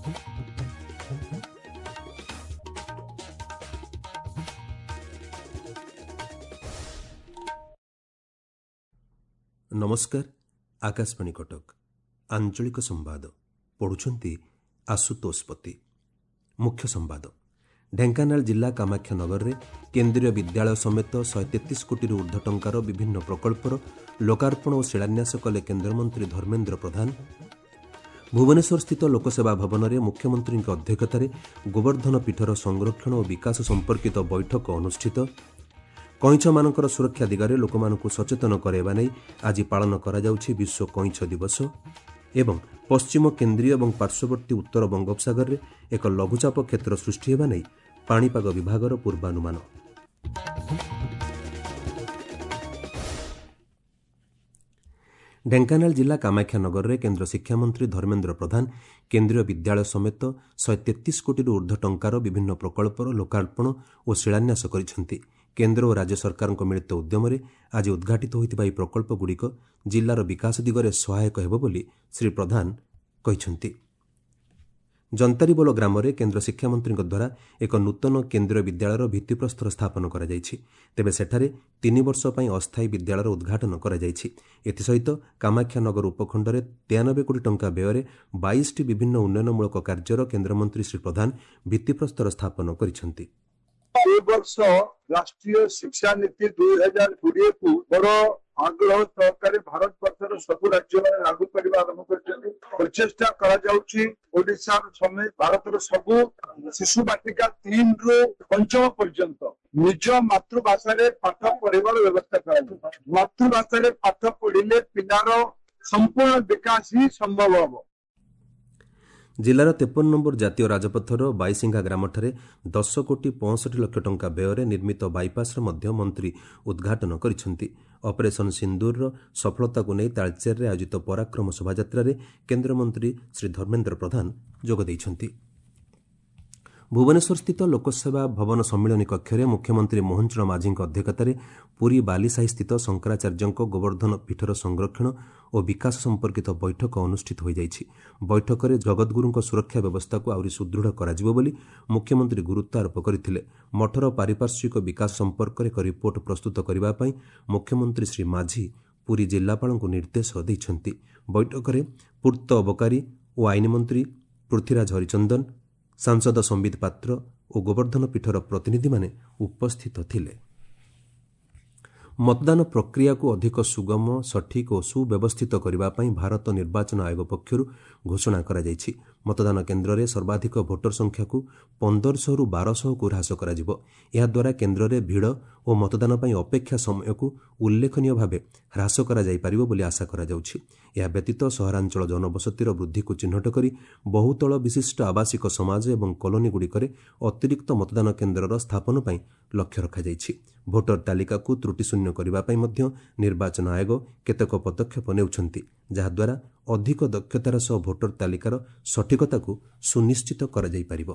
ନମସ୍କାର, ଆକାଶବାଣୀ କଟକ, ଆଞ୍ଚଳିକ ସମ୍ବାଦ ପଢ଼ୁଛନ୍ତି ଆଶୁତୋଷ ପତି। ମୁଖ୍ୟ ସମ୍ବାଦ। ଢେଙ୍କାନାଳ ଜିଲ୍ଲା କାମାକ୍ଷାନଗରରେ କେନ୍ଦ୍ରୀୟ ବିଦ୍ୟାଳୟ ସମେତ 133 କୋଟିରୁ ଉର୍ଦ୍ଧ୍ୱ ଟଙ୍କାର ବିଭିନ୍ନ ପ୍ରକଳ୍ପର ଲୋକାର୍ପଣ ଓ ଶିଳାନ୍ୟାସ କଲେ କେନ୍ଦ୍ରମନ୍ତ୍ରୀ ଧର୍ମେନ୍ଦ୍ର ପ୍ରଧାନ। ଭୁବନେଶ୍ୱରସ୍ଥିତ ଲୋକସେବା ଭବନରେ ମୁଖ୍ୟମନ୍ତ୍ରୀଙ୍କ ଅଧ୍ୟକ୍ଷତାରେ ଗୋବର୍ଦ୍ଧନ ପୀଠର ସଂରକ୍ଷଣ ଓ ବିକାଶ ସମ୍ପର୍କିତ ବୈଠକ ଅନୁଷ୍ଠିତ। କଇଁଛମାନଙ୍କର ସୁରକ୍ଷା ଦିଗରେ ଲୋକମାନଙ୍କୁ ସଚେତନ କରାଇବା ନେଇ ଆଜି ପାଳନ କରାଯାଉଛି ବିଶ୍ୱ କଇଁଛ ଦିବସ। ଏବଂ ପଶ୍ଚିମ କେନ୍ଦ୍ରୀୟ ଏବଂ ପାର୍ଶ୍ୱବର୍ତ୍ତୀ ଉତ୍ତର ବଙ୍ଗୋପସାଗରରେ ଏକ ଲଘୁଚାପ କ୍ଷେତ୍ର ସୃଷ୍ଟି ହେବା ନେଇ ପାଣିପାଗ ବିଭାଗର ପୂର୍ବାନୁମାନ। ଢେଙ୍କାନାଳ ଜିଲ୍ଲା କାମାକ୍ଷାନଗରରେ କେନ୍ଦ୍ର ଶିକ୍ଷାମନ୍ତ୍ରୀ ଧର୍ମେନ୍ଦ୍ର ପ୍ରଧାନ କେନ୍ଦ୍ରୀୟ ବିଦ୍ୟାଳୟ ସମେତ 133 କୋଟିରୁ ଉର୍ଦ୍ଧ୍ୱ ଟଙ୍କାର ବିଭିନ୍ନ ପ୍ରକଳ୍ପର ଲୋକାର୍ପଣ ଓ ଶିଳାନ୍ୟାସ କରିଛନ୍ତି। କେନ୍ଦ୍ର ଓ ରାଜ୍ୟ ସରକାରଙ୍କ ମିଳିତ ଉଦ୍ୟମରେ ଆଜି ଉଦ୍ଘାଟିତ ହୋଇଥିବା ଏହି ପ୍ରକଳ୍ପଗୁଡ଼ିକ ଜିଲ୍ଲାର ବିକାଶ ଦିଗରେ ସହାୟକ ହେବ ବୋଲି ଶ୍ରୀ ପ୍ରଧାନ କହିଛନ୍ତି। ଜନ୍ତାରିବୋଲ ଗ୍ରାମରେ କେନ୍ଦ୍ର ଶିକ୍ଷାମନ୍ତ୍ରୀଙ୍କ ଦ୍ୱାରା ଏକ ନୂତନ କେନ୍ଦ୍ରୀୟ ବିଦ୍ୟାଳୟର ଭିତ୍ତିପ୍ରସ୍ତର ସ୍ଥାପନ କରାଯାଇଛି। ତେବେ ସେଠାରେ 3 ବର୍ଷ ପାଇଁ ଅସ୍ଥାୟୀ ବିଦ୍ୟାଳୟର ଉଦ୍ଘାଟନ କରାଯାଇଛି। ଏଥିସହିତ କାମାକ୍ଷାନଗର ଉପଖଣ୍ଡରେ 93 କୋଟି ଟଙ୍କା ବ୍ୟୟରେ 22ଟି ବିଭିନ୍ନ ଉନ୍ନୟନମୂଳକ କାର୍ଯ୍ୟର କେନ୍ଦ୍ରମନ୍ତ୍ରୀ ଶ୍ରୀ ପ୍ରଧାନ ଭିତ୍ତିପ୍ରସ୍ତର ସ୍ଥାପନ କରିଛନ୍ତି। ଏ ବର୍ଷ ରାଷ୍ଟ୍ରୀୟ ଶିକ୍ଷା ନୀତି 2020କୁ ବଡ ଆଗ୍ରହ ସହକାରେ ଭାରତବର୍ଷର ସବୁ ରାଜ୍ୟମାନେ ଲାଗୁ କରିବା ଆରମ୍ଭ କରିଛନ୍ତି। ପ୍ରଚେଷ୍ଟା କରାଯାଉଛି ଓଡ଼ିଶାର ସମେତ ଭାରତର ସବୁ ଶିଶୁ ବାଟିକା 3ରୁ 5 ପର୍ଯ୍ୟନ୍ତ ନିଜ ମାତୃଭାଷାରେ ପାଠ ପଢିବାର ବ୍ୟବସ୍ଥା କରାଯିବ। ମାତୃଭାଷାରେ ପାଠ ପଢିଲେ ପିଲାର ସମ୍ପୂର୍ଣ୍ଣ ବିକାଶ ହିଁ ସମ୍ଭବ ହବ। ଜିଲ୍ଲାର 53 ନମ୍ବର ଜାତୀୟ ରାଜପଥର ବାଇସିଙ୍ଗା ଗ୍ରାମଠାରେ 10 କୋଟି 65 ଲକ୍ଷ ଟଙ୍କା ବ୍ୟୟରେ ନିର୍ମିତ ବାଇପାସ୍ର ମଧ୍ୟ ମନ୍ତ୍ରୀ ଉଦ୍ଘାଟନ କରିଛନ୍ତି। ଅପରେସନ୍ ସିନ୍ଦୁରର ସଫଳତାକୁ ନେଇ ତାଳଚେରରେ ଆୟୋଜିତ ପରାକ୍ରମ ଶୋଭାଯାତ୍ରାରେ କେନ୍ଦ୍ରମନ୍ତ୍ରୀ ଶ୍ରୀ ଧର୍ମେନ୍ଦ୍ର ପ୍ରଧାନ ଯୋଗ ଦେଇଛନ୍ତି। ଭୁବନେଶ୍ୱରସ୍ଥିତ ଲୋକସେବା ଭବନ ସମ୍ମିଳନୀ କକ୍ଷରେ ମୁଖ୍ୟମନ୍ତ୍ରୀ ମୋହନ ଚରଣ ମାଝୀଙ୍କ ଅଧ୍ୟକ୍ଷତାରେ ପୁରୀ ବାଲିସାହିସ୍ଥିତ ଶଙ୍କରାଚାର୍ଯ୍ୟଙ୍କ ଗୋବର୍ଦ୍ଧନ ପୀଠର ସଂରକ୍ଷଣ ଓ ବିକାଶ ସମ୍ପର୍କିତ ବୈଠକ ଅନୁଷ୍ଠିତ ହୋଇଯାଇଛି। ବୈଠକରେ ଜଗଦ୍ଗୁରୁଙ୍କ ସୁରକ୍ଷା ବ୍ୟବସ୍ଥାକୁ ଆହୁରି ସୁଦୃଢ଼ କରାଯିବ ବୋଲି ମୁଖ୍ୟମନ୍ତ୍ରୀ ଗୁରୁତ୍ୱ ଆରୋପ କରିଥିଲେ। ମଠର ପାରିପାର୍ଶ୍ୱିକ ବିକାଶ ସମ୍ପର୍କରେ ଏକ ରିପୋର୍ଟ ପ୍ରସ୍ତୁତ କରିବା ପାଇଁ ମୁଖ୍ୟମନ୍ତ୍ରୀ ଶ୍ରୀ ମାଝୀ ପୁରୀ ଜିଲ୍ଲାପାଳଙ୍କୁ ନିର୍ଦ୍ଦେଶ ଦେଇଛନ୍ତି। ବୈଠକରେ ପୂର୍ତ୍ତ, ଅବକାରୀ ଓ ଆଇନ ମନ୍ତ୍ରୀ ପୃଥ୍ୱୀରାଜ ହରିଚନ୍ଦନ, ସାଂସଦ ସମ୍ବିତ ପାତ୍ର ଓ ଗୋବର୍ଦ୍ଧନ ପୀଠର ପ୍ରତିନିଧିମାନେ ଉପସ୍ଥିତ ଥିଲେ। ମତଦାନ ପ୍ରକ୍ରିୟାକୁ ଅଧିକ ସୁଗମ, ସଠିକ୍ ଓ ସୁବ୍ୟବସ୍ଥିତ କରିବା ପାଇଁ ଭାରତ ନିର୍ବାଚନ ଆୟୋଗ ପକ୍ଷରୁ ଘୋଷଣା କରାଯାଇଛି। ମତଦାନ କେନ୍ଦ୍ରରେ ସର୍ବାଧିକ ଭୋଟର ସଂଖ୍ୟାକୁ 1500ରୁ 1200କୁ ହ୍ରାସ କରାଯିବ। ଏହାଦ୍ୱାରା କେନ୍ଦ୍ରରେ ଭିଡ଼ ଓ ମତଦାନ ପାଇଁ ଅପେକ୍ଷା ସମୟକୁ ଉଲ୍ଲେଖନୀୟ ଭାବେ ହ୍ରାସ କରାଯାଇପାରିବ ବୋଲି ଆଶା କରାଯାଉଛି। ଏହା ବ୍ୟତୀତ ସହରାଞ୍ଚଳ ଜନବସତିର ବୃଦ୍ଧିକୁ ଚିହ୍ନଟ କରି ବହୁତଳ ବିଶିଷ୍ଟ ଆବାସିକ ସମାଜ ଏବଂ କଲୋନୀଗୁଡ଼ିକରେ ଅତିରିକ୍ତ ମତଦାନ କେନ୍ଦ୍ରର ସ୍ଥାପନ ପାଇଁ ଲକ୍ଷ୍ୟ ରଖାଯାଇଛି। ଭୋଟର ତାଲିକାକୁ ତ୍ରୁଟିଶୂନ୍ୟ କରିବା ପାଇଁ ମଧ୍ୟ ନିର୍ବାଚନ ଆୟୋଗ କେତେକ ପଦକ୍ଷେପ ନେଉଛନ୍ତି, ଯାହାଦ୍ୱାରା ଅଧିକ ଦକ୍ଷତାର ସହ ଭୋଟର ତାଲିକାର ସଠିକତାକୁ ସୁନିଶ୍ଚିତ କରାଯାଇପାରିବ।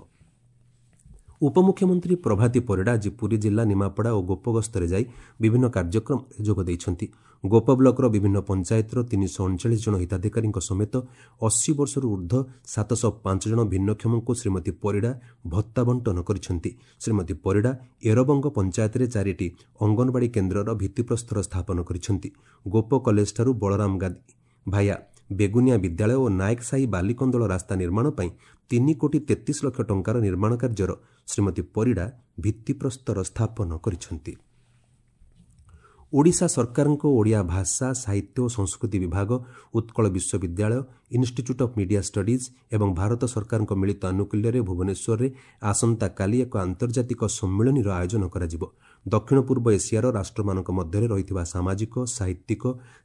ଉପମୁଖ୍ୟମନ୍ତ୍ରୀ ପ୍ରଭାତୀ ପରିଡ଼ା ଆଜି ପୁରୀ ଜିଲ୍ଲା ନିମାପଡ଼ା ଓ ଗୋପ ଗସ୍ତରେ ଯାଇ ବିଭିନ୍ନ କାର୍ଯ୍ୟକ୍ରମରେ ଯୋଗ ଦେଇଛନ୍ତି। ଗୋପ ବ୍ଲକର ବିଭିନ୍ନ ପଞ୍ଚାୟତର 339 ଜଣ ହିତାଧିକାରୀଙ୍କ ସମେତ 80 ବର୍ଷରୁ ଉର୍ଦ୍ଧ୍ୱ 705 ଜଣ ଭିନ୍ନକ୍ଷମଙ୍କୁ ଶ୍ରୀମତୀ ପରିଡ଼ା ଭତ୍ତା ବଣ୍ଟନ କରିଛନ୍ତି। ଶ୍ରୀମତୀ ପରିଡ଼ା ଏରବଙ୍ଗ ପଞ୍ଚାୟତରେ 4ଟି ଅଙ୍ଗନବାଡ଼ି କେନ୍ଦ୍ରର ଭିତ୍ତିପ୍ରସ୍ତର ସ୍ଥାପନ କରିଛନ୍ତି। ଗୋପ କଲେଜଠାରୁ ବଳରାମ ଗାଦି ଭାୟା ବେଗୁନିଆ ବିଦ୍ୟାଳୟ ଓ ନାୟକ ସାହି ବାଲିକନ୍ଦଳ ରାସ୍ତା ନିର୍ମାଣ ପାଇଁ 3 କୋଟି 33 ଲକ୍ଷ ଟଙ୍କାର ନିର୍ମାଣ କାର୍ଯ୍ୟର ଶ୍ରୀମତୀ ପରିଡ଼ା ଭିତ୍ତିପ୍ରସ୍ତର ସ୍ଥାପନ କରିଛନ୍ତି। ଓଡ଼ିଶା ସରକାରଙ୍କ ଓଡ଼ିଆ ଭାଷା, ସାହିତ୍ୟ ଓ ସଂସ୍କୃତି ବିଭାଗ, ଉତ୍କଳ ବିଶ୍ୱବିଦ୍ୟାଳୟ, ଇନ୍ଷ୍ଟିଚ୍ୟୁଟ୍ ଅଫ୍ ମିଡିଆ ଷ୍ଟଡିଜ୍ ଏବଂ ଭାରତ ସରକାରଙ୍କ ମିଳିତ ଆନୁକୂଲ୍ୟରେ ଭୁବନେଶ୍ୱରରେ ଆସନ୍ତାକାଲି ଏକ ଆନ୍ତର୍ଜାତିକ ସମ୍ମିଳନୀର ଆୟୋଜନ କରାଯିବ। ଦକ୍ଷିଣ ପୂର୍ବ ଏସିଆର ରାଷ୍ଟ୍ରମାନଙ୍କ ମଧ୍ୟରେ ରହିଥିବା ସାମାଜିକ, ସାହିତ୍ୟିକ,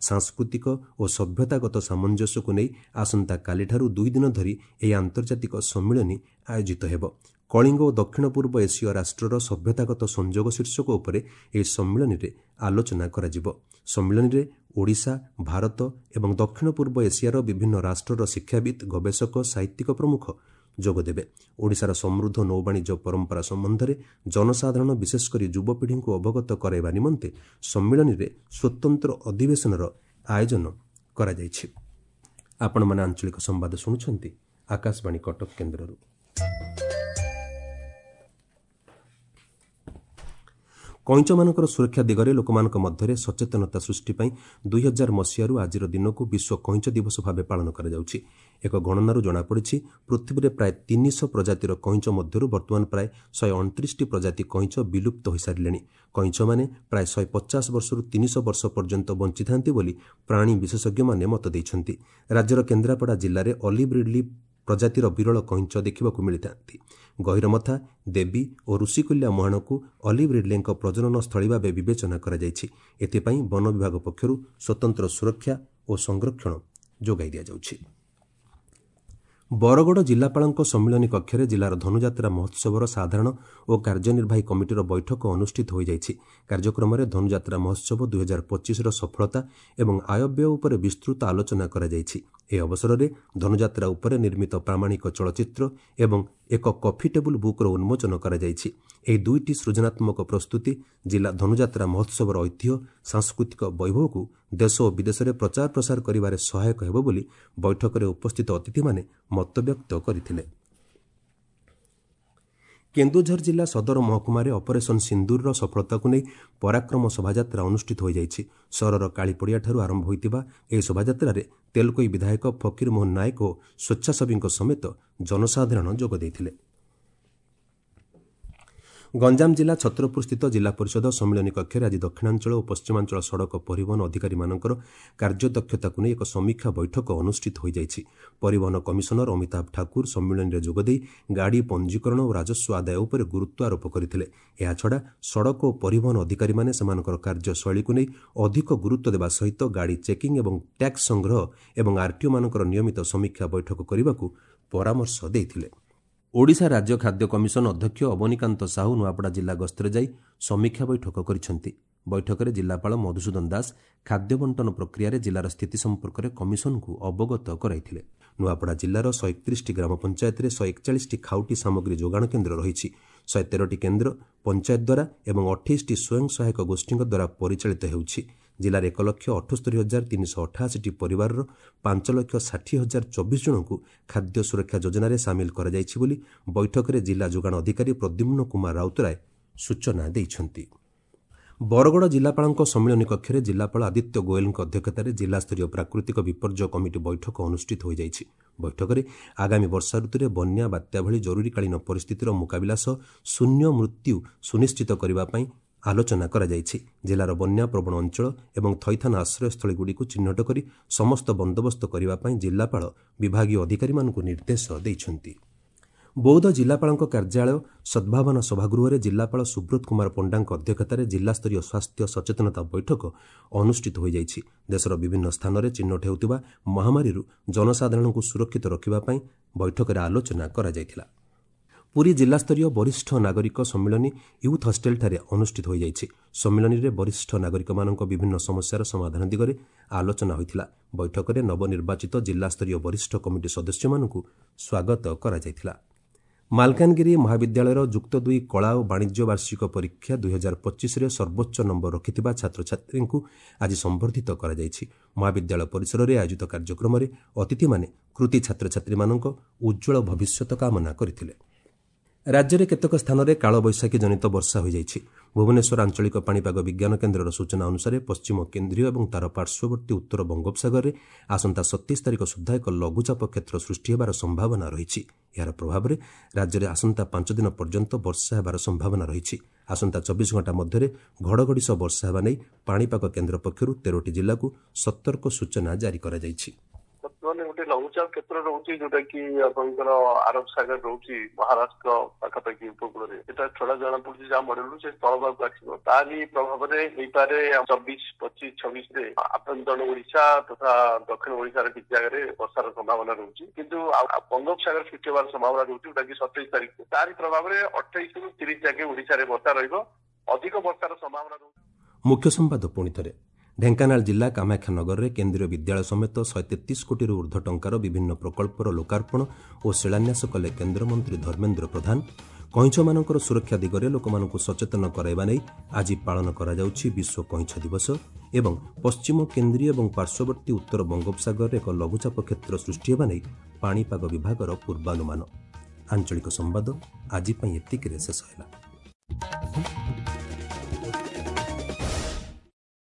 ସାଂସ୍କୃତିକ ଓ ସଭ୍ୟତାଗତ ସାମଞ୍ଜସ୍ୟକୁ ନେଇ ଆସନ୍ତାକାଲିଠାରୁ 2 ଦିନ ଧରି ଏହି ଆନ୍ତର୍ଜାତିକ ସମ୍ମିଳନୀ ଆୟୋଜିତ ହେବ। କଳିଙ୍ଗ ଓ ଦକ୍ଷିଣ ପୂର୍ବ ଏସୀୟ ରାଷ୍ଟ୍ରର ସଭ୍ୟତାଗତ ସଂଯୋଗ ଶୀର୍ଷକ ଉପରେ ଏହି ସମ୍ମିଳନୀରେ ଆଲୋଚନା କରାଯିବ। ସମ୍ମିଳନୀରେ ଓଡ଼ିଶା, ଭାରତ ଏବଂ ଦକ୍ଷିଣ ପୂର୍ବ ଏସିଆର ବିଭିନ୍ନ ରାଷ୍ଟ୍ରର ଶିକ୍ଷାବିତ୍, ଗବେଷକ, ସାହିତ୍ୟିକ ପ୍ରମୁଖ ଯୋଗଦେବେ। ଓଡ଼ିଶାର ସମୃଦ୍ଧ ନୌବାଣିଜ୍ୟ ପରମ୍ପରା ସମ୍ବନ୍ଧରେ ଜନସାଧାରଣ, ବିଶେଷ କରି ଯୁବପିଢ଼ିଙ୍କୁ ଅବଗତ କରାଇବା ନିମନ୍ତେ ସମ୍ମିଳନୀରେ ସ୍ୱତନ୍ତ୍ର ଅଧିବେଶନର ଆୟୋଜନ କରାଯାଇଛି। ଆପଣମାନେ ଆଞ୍ଚଳିକ ସମ୍ବାଦ ଶୁଣୁଛନ୍ତି ଆକାଶବାଣୀ କଟକ କେନ୍ଦ୍ରରୁ। କଇଁଚମାନଙ୍କର ସୁରକ୍ଷା ଦିଗରେ ଲୋକମାନଙ୍କ ମଧ୍ୟରେ ସଚେତନତା ସୃଷ୍ଟି ପାଇଁ 2000 ମସିହାରୁ ଆଜିର ଦିନକୁ ବିଶ୍ୱ କଇଁଚ ଦିବସ ଭାବେ ପାଳନ କରାଯାଉଛି। ଏକ ଗଣନାରୁ ଜଣାପଡ଼ିଛି, ପୃଥିବୀରେ ପ୍ରାୟ 300 ପ୍ରଜାତିର କଇଁଚ ମଧ୍ୟରୁ ବର୍ତ୍ତମାନ ପ୍ରାୟ 129ଟି ପ୍ରଜାତି କଇଁଚ ବିଲୁପ୍ତ ହୋଇସାରିଲେଣି। କଇଁଚମାନେ ପ୍ରାୟ 150 ବର୍ଷରୁ 300 ବର୍ଷ ପର୍ଯ୍ୟନ୍ତ ବଞ୍ଚିଥାନ୍ତି ବୋଲି ପ୍ରାଣୀ ବିଶେଷଜ୍ଞମାନେ ମତ ଦେଇଛନ୍ତି। ରାଜ୍ୟର କେନ୍ଦ୍ରାପଡ଼ା ଜିଲ୍ଲାରେ ଅଲିଭ୍ ରିଡଲି ପ୍ରଜାତିର ବିରଳ କଇଁଚ ଦେଖିବାକୁ ମିଳିଥାନ୍ତି। ଗହିରମଥା, ଦେବୀ ଓ ଋଷିକୁଲ୍ୟା ମୁହାଣକୁ ଅଲିଭ୍ ରିଡଲିଙ୍କ ପ୍ରଜନନ ସ୍ଥଳୀ ଭାବେ ବିବେଚନା କରାଯାଇଛି। ଏଥିପାଇଁ ବନ ବିଭାଗ ପକ୍ଷରୁ ସ୍ୱତନ୍ତ୍ର ସୁରକ୍ଷା ଓ ସଂରକ୍ଷଣ ଯୋଗାଇ ଦିଆଯାଉଛି। ବରଗଡ଼ ଜିଲ୍ଲାପାଳଙ୍କ ସମ୍ମିଳନୀ କକ୍ଷରେ ଜିଲ୍ଲାର ଧନୁଯାତ୍ରା ମହୋତ୍ସବର ସାଧାରଣ ଓ କାର୍ଯ୍ୟନିର୍ବାହୀ କମିଟିର ବୈଠକ ଅନୁଷ୍ଠିତ ହୋଇଯାଇଛି। କାର୍ଯ୍ୟକ୍ରମରେ ଧନୁଯାତ୍ରା ମହୋତ୍ସବ 2025ର ସଫଳତା ଏବଂ ଆୟବ୍ୟୟ ଉପରେ ବିସ୍ତୃତ ଆଲୋଚନା କରାଯାଇଛି। ଏହି ଅବସରରେ ଧନୁଯାତ୍ରା ଉପରେ ନିର୍ମିତ ପ୍ରାମାଣିକ ଚଳଚ୍ଚିତ୍ର ଏବଂ ଏକ କଫି ଟେବୁଲ୍ ବୁକ୍ର ଉନ୍ମୋଚନ କରାଯାଇଛି। ଏହି ଦୁଇଟି ସୃଜନାତ୍ମକ ପ୍ରସ୍ତୁତି ଜିଲ୍ଲା ଧନୁଯାତ୍ରା ମହୋତ୍ସବର ଐତିହ୍ୟ, ସାଂସ୍କୃତିକ ବୈଭବକୁ ଦେଶ ଓ ବିଦେଶରେ ପ୍ରଚାର ପ୍ରସାର କରିବାରେ ସହାୟକ ହେବ ବୋଲି ବୈଠକରେ ଉପସ୍ଥିତ ଅତିଥିମାନେ ମତବ୍ୟକ୍ତ କରିଥିଲେ। କେନ୍ଦୁଝର ଜିଲ୍ଲା ସଦର ମହକୁମାରେ ଅପରେସନ୍ ସିନ୍ଦୁରର ସଫଳତାକୁ ନେଇ ପରାକ୍ରମ ଶୋଭାଯାତ୍ରା ଅନୁଷ୍ଠିତ ହୋଇଯାଇଛି। ସହରର କାଳିପଡ଼ିଆଠାରୁ ଆରମ୍ଭ ହୋଇଥିବା ଏହି ଶୋଭାଯାତ୍ରାରେ ତେଲକୋଇ ବିଧାୟକ ଫକୀରମୋହନ ନାୟକ ଓ ସ୍ୱେଚ୍ଛାସେବୀଙ୍କ ସମେତ ଜନସାଧାରଣ ଯୋଗ ଦେଇଥିଲେ। ଗଞ୍ଜାମ ଜିଲ୍ଲା ଛତ୍ରପୁରସ୍ଥିତ ଜିଲ୍ଲା ପରିଷଦ ସମ୍ମିଳନୀ କକ୍ଷରେ ଆଜି ଦକ୍ଷିଣାଞ୍ଚଳ ଓ ପଶ୍ଚିମାଞ୍ଚଳ ସଡ଼କ ପରିବହନ ଅଧିକାରୀମାନଙ୍କର କାର୍ଯ୍ୟଦକ୍ଷତାକୁ ନେଇ ଏକ ସମୀକ୍ଷା ବୈଠକ ଅନୁଷ୍ଠିତ ହୋଇଯାଇଛି। ପରିବହନ କମିଶନର ଅମିତାଭ ଠାକୁର ସମ୍ମିଳନୀରେ ଯୋଗଦେଇ ଗାଡ଼ି ପଞ୍ଜୀକରଣ ଓ ରାଜସ୍ୱ ଆଦାୟ ଉପରେ ଗୁରୁତ୍ୱ ଆରୋପ କରିଥିଲେ। ଏହାଛଡ଼ା ସଡ଼କ ଓ ପରିବହନ ଅଧିକାରୀମାନେ ସେମାନଙ୍କର କାର୍ଯ୍ୟଶୈଳୀକୁ ନେଇ ଅଧିକ ଗୁରୁତ୍ୱ ଦେବା ସହିତ ଗାଡ଼ି ଚେକିଂ ଏବଂ ଟ୍ୟାକ୍ସ ସଂଗ୍ରହ ଏବଂ ଆର୍ଟିଓମାନଙ୍କର ନିୟମିତ ସମୀକ୍ଷା ବୈଠକ କରିବାକୁ ପରାମର୍ଶ ଦେଇଥିଲେ। ଓଡ଼ିଶା ରାଜ୍ୟ ଖାଦ୍ୟ କମିଶନ ଅଧ୍ୟକ୍ଷ ଅବନୀକାନ୍ତ ସାହୁ ନୂଆପଡ଼ା ଜିଲ୍ଲା ଗସ୍ତରେ ଯାଇ ସମୀକ୍ଷା ବୈଠକ କରିଛନ୍ତି। ବୈଠକରେ ଜିଲ୍ଲାପାଳ ମଧୁସୂଦନ ଦାସ ଖାଦ୍ୟ ବଣ୍ଟନ ପ୍ରକ୍ରିୟାରେ ଜିଲ୍ଲାର ସ୍ଥିତି ସମ୍ପର୍କରେ କମିଶନଙ୍କୁ ଅବଗତ କରାଇଥିଲେ। ନୂଆପଡ଼ା ଜିଲ୍ଲାର 131ଟି ଗ୍ରାମ ପଞ୍ଚାୟତରେ 141ଟି ଖାଉଟି ସାମଗ୍ରୀ ଯୋଗାଣ କେନ୍ଦ୍ର ରହିଛି। 113ଟି କେନ୍ଦ୍ର ପଞ୍ଚାୟତ ଦ୍ୱାରା ଏବଂ 28ଟି ସ୍ୱୟଂ ସହାୟକ ଗୋଷ୍ଠୀଙ୍କ ଦ୍ୱାରା ପରିଚାଳିତ ହେଉଛି। ଜିଲ୍ଲାରେ 1,78,388ଟି ପରିବାରର 5,60,024 ଜଣଙ୍କୁ ଖାଦ୍ୟ ସୁରକ୍ଷା ଯୋଜନାରେ ସାମିଲ କରାଯାଇଛି ବୋଲି ବୈଠକରେ ଜିଲ୍ଲା ଯୋଗାଣ ଅଧିକାରୀ ପ୍ରଦ୍ୟୁମ୍ନ କୁମାର ରାଉତରାୟ ସୂଚନା ଦେଇଛନ୍ତି। ବରଗଡ଼ ଜିଲ୍ଲାପାଳଙ୍କ ସମ୍ମିଳନୀ କକ୍ଷରେ ଜିଲ୍ଲାପାଳ ଆଦିତ୍ୟ ଗୋଏଲଙ୍କ ଅଧ୍ୟକ୍ଷତାରେ ଜିଲ୍ଲାସ୍ତରୀୟ ପ୍ରାକୃତିକ ବିପର୍ଯ୍ୟୟ କମିଟି ବୈଠକ ଅନୁଷ୍ଠିତ ହୋଇଯାଇଛି। ବୈଠକରେ ଆଗାମୀ ବର୍ଷା ଋତୁରେ ବନ୍ୟା, ବାତ୍ୟା ଭଳି ଜରୁରୀକାଳୀନ ପରିସ୍ଥିତିର ମୁକାବିଲା ସହ ଶୂନ୍ୟ ମୃତ୍ୟୁ ସୁନିଶ୍ଚିତ କରିବା ପାଇଁ ଆଲୋଚନା କରାଯାଇଛି। ଜିଲ୍ଲାର ବନ୍ୟା ପ୍ରବଣ ଅଞ୍ଚଳ ଏବଂ ଥଇଥାନ ଆଶ୍ରୟସ୍ଥଳୀଗୁଡ଼ିକୁ ଚିହ୍ନଟ କରି ସମସ୍ତ ବନ୍ଦୋବସ୍ତ କରିବା ପାଇଁ ଜିଲ୍ଲାପାଳ ବିଭାଗୀୟ ଅଧିକାରୀମାନଙ୍କୁ ନିର୍ଦ୍ଦେଶ ଦେଇଛନ୍ତି। ବୌଦ୍ଧ ଜିଲ୍ଲାପାଳଙ୍କ କାର୍ଯ୍ୟାଳୟ ସଦ୍ଭାବନା ସଭାଗୃହରେ ଜିଲ୍ଲାପାଳ ସୁବ୍ରତ କୁମାର ପଣ୍ଡାଙ୍କ ଅଧ୍ୟକ୍ଷତାରେ ଜିଲ୍ଲାସ୍ତରୀୟ ସ୍ୱାସ୍ଥ୍ୟ ସଚେତନତା ବୈଠକ ଅନୁଷ୍ଠିତ ହୋଇଯାଇଛି। ଦେଶର ବିଭିନ୍ନ ସ୍ଥାନରେ ଚିହ୍ନଟ ହେଉଥିବା ମହାମାରୀରୁ ଜନସାଧାରଣଙ୍କୁ ସୁରକ୍ଷିତ ରଖିବା ପାଇଁ ବୈଠକରେ ଆଲୋଚନା କରାଯାଇଥିଲା। ପୁରୀ ଜିଲ୍ଲାସ୍ତରୀୟ ବରିଷ୍ଠ ନାଗରିକ ସମ୍ମିଳନୀ ୟୁଥ୍ ହଷ୍ଟେଲଠାରେ ଅନୁଷ୍ଠିତ ହୋଇଯାଇଛି। ସମ୍ମିଳନୀରେ ବରିଷ୍ଠ ନାଗରିକମାନଙ୍କ ବିଭିନ୍ନ ସମସ୍ୟାର ସମାଧାନ ଦିଗରେ ଆଲୋଚନା ହୋଇଥିଲା। ବୈଠକରେ ନବନିର୍ବାଚିତ ଜିଲ୍ଲାସ୍ତରୀୟ ବରିଷ୍ଠ କମିଟି ସଦସ୍ୟମାନଙ୍କୁ ସ୍ୱାଗତ କରାଯାଇଥିଲା। ମାଲକାନଗିରି ମହାବିଦ୍ୟାଳୟର ଯୁକ୍ତ 2 କଳା ଓ ବାଣିଜ୍ୟ ବାର୍ଷିକ ପରୀକ୍ଷା 2025ରେ ସର୍ବୋଚ୍ଚ ନମ୍ବର ରଖିଥିବା ଛାତ୍ରଛାତ୍ରୀଙ୍କୁ ଆଜି ସମ୍ବର୍ଦ୍ଧିତ କରାଯାଇଛି। ମହାବିଦ୍ୟାଳୟ ପରିସରରେ ଆୟୋଜିତ କାର୍ଯ୍ୟକ୍ରମରେ ଅତିଥିମାନେ କୃତି ଛାତ୍ରଛାତ୍ରୀମାନଙ୍କ ଉଜ୍ଜ୍ୱଳ ଭବିଷ୍ୟତ କାମନା କରିଥିଲେ। ରାଜ୍ୟରେ କେତେକ ସ୍ଥାନରେ କାଳବୈଶାଖୀ ଜନିତ ବର୍ଷା ହୋଇଯାଇଛି। ଭୁବନେଶ୍ୱର ଆଞ୍ଚଳିକ ପାଣିପାଗ ବିଜ୍ଞାନ କେନ୍ଦ୍ରର ସୂଚନା ଅନୁସାରେ ପଶ୍ଚିମ କେନ୍ଦ୍ରୀୟ ଏବଂ ତାର ପାର୍ଶ୍ୱବର୍ତ୍ତୀ ଉତ୍ତର ବଙ୍ଗୋପସାଗରରେ ଆସନ୍ତା 27 ତାରିଖ ସୁଦ୍ଧା ଏକ ଲଘୁଚାପ କ୍ଷେତ୍ର ସୃଷ୍ଟି ହେବାର ସମ୍ଭାବନା ରହିଛି। ଏହାର ପ୍ରଭାବରେ ରାଜ୍ୟରେ ଆସନ୍ତା 5 ଦିନ ପର୍ଯ୍ୟନ୍ତ ବର୍ଷା ହେବାର ସମ୍ଭାବନା ରହିଛି। ଆସନ୍ତା 24 ଘଣ୍ଟା ମଧ୍ୟରେ ଘଡ଼ଘଡ଼ି ସହ ବର୍ଷା ହେବା ନେଇ ପାଣିପାଗ କେନ୍ଦ୍ର ପକ୍ଷରୁ 13ଟି ଜିଲ୍ଲାକୁ ସତର୍କ ସୂଚନା ଜାରି କରାଯାଇଛି। ବର୍ତ୍ତମାନ ଗୋଟେ ଲଘୁଚାପ କ୍ଷେତ୍ର ରହୁଛି, ଯୋଉଟା କି ଆପଣଙ୍କର ଆରବ ସାଗର ରହୁଛି, ମହାରାଷ୍ଟ୍ର ପାଖାପାଖି ଉପକୂଳରେ। ସେଟା ଛଡା ଜଣା ପଡୁଛି ଯାହା ମଡେଲରୁ ସେ ସ୍ଥଳଭାଗକୁ ଆସିବ। ତାରି ପ୍ରଭାବରେ ହେଇପାରେ 24, 25, 26ରେ ଆଭ୍ୟନ୍ତରୀଣ ଓଡିଶା ତଥା ଦକ୍ଷିଣ ଓଡିଶାର କିଛି ଜାଗାରେ ବର୍ଷାର ସମ୍ଭାବନା ରହୁଛି। କିନ୍ତୁ ବଙ୍ଗୋପସାଗର ସୃଷ୍ଟି ହେବାର ସମ୍ଭାବନା ରହୁଛି, ଯୋଉଟା କି 27 ତାରିଖ। ତାରି ପ୍ରଭାବରେ 28ରୁ 30 ଯାକେ ଓଡିଶାରେ ବର୍ଷା ରହିବ, ଅଧିକ ବର୍ଷାର ସମ୍ଭାବନା ରହୁଛି। ମୁଖ୍ୟ ସମ୍ବାଦ ପୁଣି ଥରେ। ଢେଙ୍କାନାଳ ଜିଲ୍ଲା କାମାକ୍ଷାନଗରରେ କେନ୍ଦ୍ରୀୟ ବିଦ୍ୟାଳୟ ସମେତ 133 କୋଟିରୁ ଉର୍ଦ୍ଧ୍ୱ ଟଙ୍କାର ବିଭିନ୍ନ ପ୍ରକଳ୍ପର ଲୋକାର୍ପଣ ଓ ଶିଳାନ୍ୟାସ କଲେ କେନ୍ଦ୍ରମନ୍ତ୍ରୀ ଧର୍ମେନ୍ଦ୍ର ପ୍ରଧାନ। କଇଁଛମାନଙ୍କର ସୁରକ୍ଷା ଦିଗରେ ଲୋକମାନଙ୍କୁ ସଚେତନ କରାଇବା ନେଇ ଆଜି ପାଳନ କରାଯାଉଛି ବିଶ୍ୱ କଇଁଛ ଦିବସ। ଏବଂ ପଶ୍ଚିମ, କେନ୍ଦ୍ରୀୟ ଏବଂ ପାର୍ଶ୍ୱବର୍ତ୍ତୀ ଉତ୍ତର ବଙ୍ଗୋପସାଗରରେ ଏକ ଲଘୁଚାପ କ୍ଷେତ୍ର ସୃଷ୍ଟି ହେବା ନେଇ ପାଣିପାଗ ବିଭାଗର ପୂର୍ବାନୁମାନ। ଆଞ୍ଚଳିକ ସମ୍ବାଦ ଆଜି ପାଇଁ ଏତିକିରେ ଶେଷ ହେଲା।